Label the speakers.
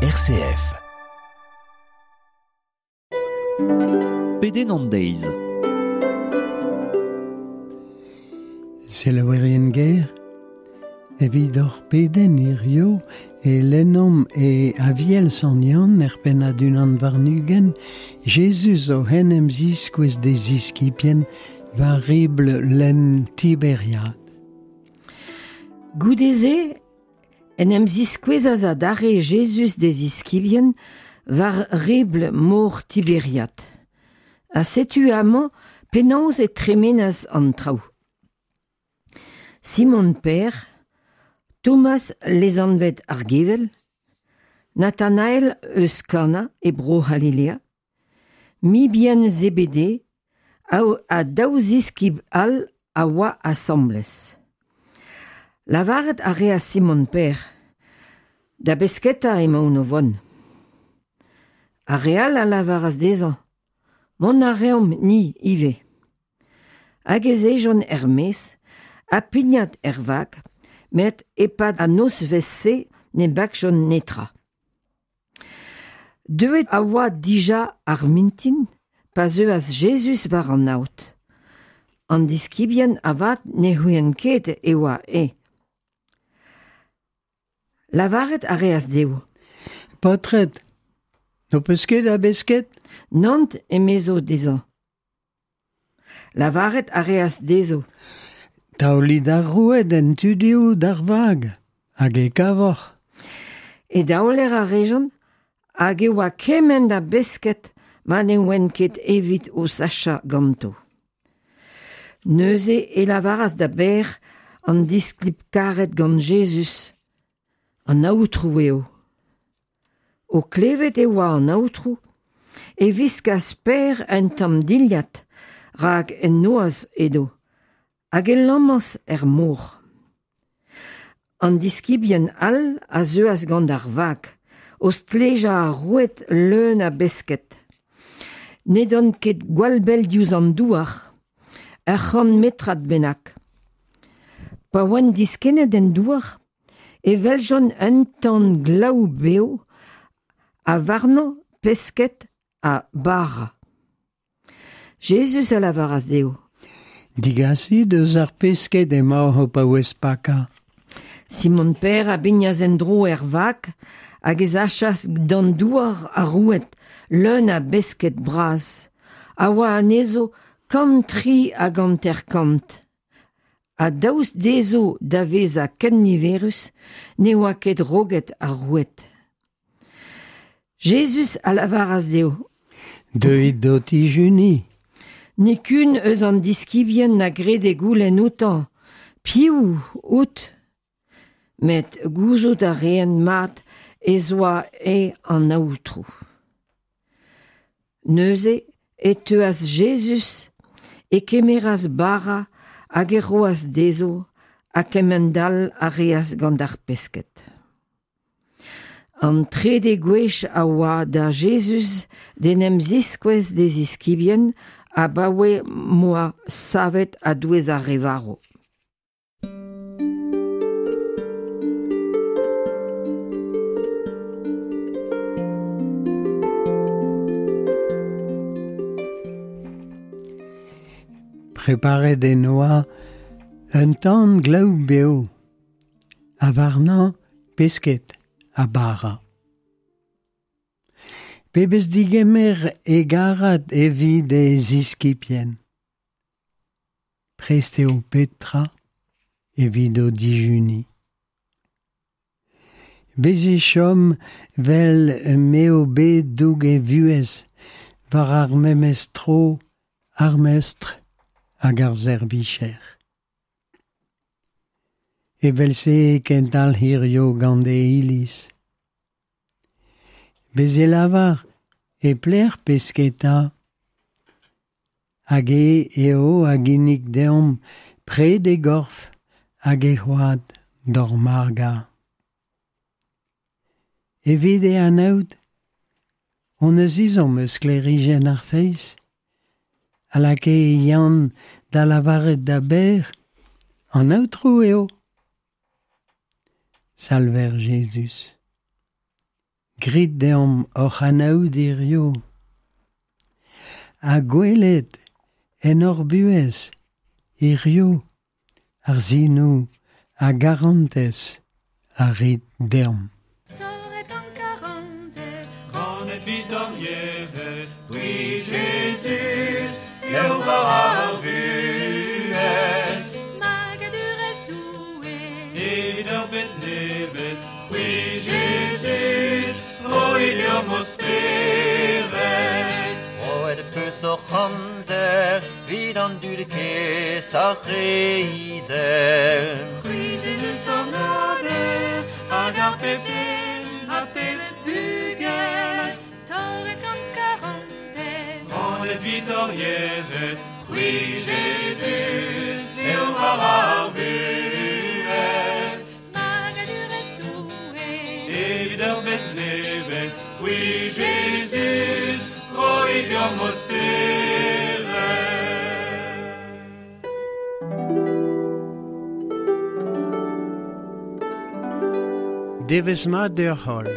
Speaker 1: RCF.
Speaker 2: Pedenn an deiz.
Speaker 3: Selaouerien ger, evit hor pedenn hirio e lennomp e Aviel Sant Yann er pennad unan warn-ugent, Jezuz o en em ziskouez d'e ziskibien war ribl lenn Tiberiad.
Speaker 4: Goude-se en em ziskouezas adarre Jezuz d'e ziskibien war ribl mor Tiberiad. Ha setu amañ penaos e tremenas an traoù. Simon Pêr, Thomas lesanvet ar Gevel, Nathanael eus Kana e Bro-C'halilea, mibien Zebede ha daou ziskibl all a oa asambles. Lavaret a reas Simon Pêr, Da besketa emaon o vont. Ar re all a lavaras dezhañ, Mont a reomp ni ivez. Hag ez ejont er-maez ha pignat er vag, met e-pad an nozvezh-se ne bakjont netra. Deuet a oa dija ar mintin pa zeuas Jezuz war an aod. An diskibien avat ne c'houient ket e oa eñ. Lavaret a reas dezho.
Speaker 3: Paotred, n'ho peus ket a besked?
Speaker 4: Nann, emezo dezhañ. Lavaret a reas dezho.
Speaker 3: Taolit ar roued en tu dehou d'ar vag, hag e kavoc'h.
Speaker 4: E daoler a rejont, hag e oa kement a besked ma ne oant ket evit o sachañ ganto. Neuze e lavaras da Bêr an disklip karet gant Jezuz, An Aotrou eo. O klevet e oa an Aotrou, e wiskas Pêr un tamm dilhad, rak en noazh edo, hag e lammas er mor. An diskibien all a zeuas gant ar vag, o stlejañ ar roued leun a besked. N'edont ket gwall bell diouzh an douar, ur c'hant metrad bennak. Pa oant diskennet en douar e weljont un tan glaou-bev ha warnañ pesked ha bara. Jezuz a lavaras dezho.
Speaker 3: Digasit eus ar pesked emaoc'h o paouez pakañ.
Speaker 4: Simon Pêr a bignas en-dro er vag hag e sachas d'an douar ar roued leun a besked bras, a oa anezho 153. Ha daoust dezho da vezañ ken niverus ne oa ket roget ar roued. Jezuz a lavaras dezho.
Speaker 3: Deuit d'ho tijuniñ.
Speaker 4: Nikun eus an diskibien na grede goulenn outañ Piv out? Met gouzout a reent mat ez oa eñ an Aotrou. Neuze e teuas Jezuz, e kemeras bara hag e roas dezho, ha kement-all a reas gant ar pesked. An trede gwech a oa da Jezuz d'en em ziskouez d'e ziskibien abaoe m'oa savet a-douez ar re varv.
Speaker 3: Preparet en oa un tan glaou-bev, ha warnañ pesked ha bara. Pebezh digemer hegarat evit e ziskibien. Prest eo petra evit o dijuniñ. Bez' e chom 'vel m'eo bet doug e vuhez war ar memes tro ar mestr hag ar servijer. Evel-se e kendalc'h hiziv gant e iliz. Bez' e lavar e pelec'h pesketa hag eñ eo a ginnig deomp pred e gorf hag e c'hwad d'hor magañ. Evit e anaout hon eus ezhomm eus sklêrijenn ar feiz a lakae Yann da lavaret da Bêr An Aotrou eo. Salver Jezuz. Grit deomp oc'h anaout hirio. Ha gwelet en hor buhez hirio ar sinoù a garantez a rit deomp.
Speaker 1: Torret an karantez,
Speaker 2: Ganet 'vit hor yec'hed, c'hwi Jezuz, eo bara ar vuhez.
Speaker 1: Magadurezh Doue,
Speaker 2: Evit ur bed nevez, c'hwi Jezuz, roit deomp ho spered.
Speaker 5: Roet peus hoc'h amzer, 'vit an dud kaezh ar re izel.
Speaker 1: C'hwi Jezuz hor mader, hag ar pep den, ha pep bugel, torret gant karantez.
Speaker 2: Ganet 'vit hor yec'hed, c'hwi Jezuz, eo bara ar vuhez.
Speaker 1: Magadurezh Doue,
Speaker 2: Evit ur bed nevez, c'hwi Jezuz, roit deomp ho spered.
Speaker 3: Devezh mat deoc'h holl.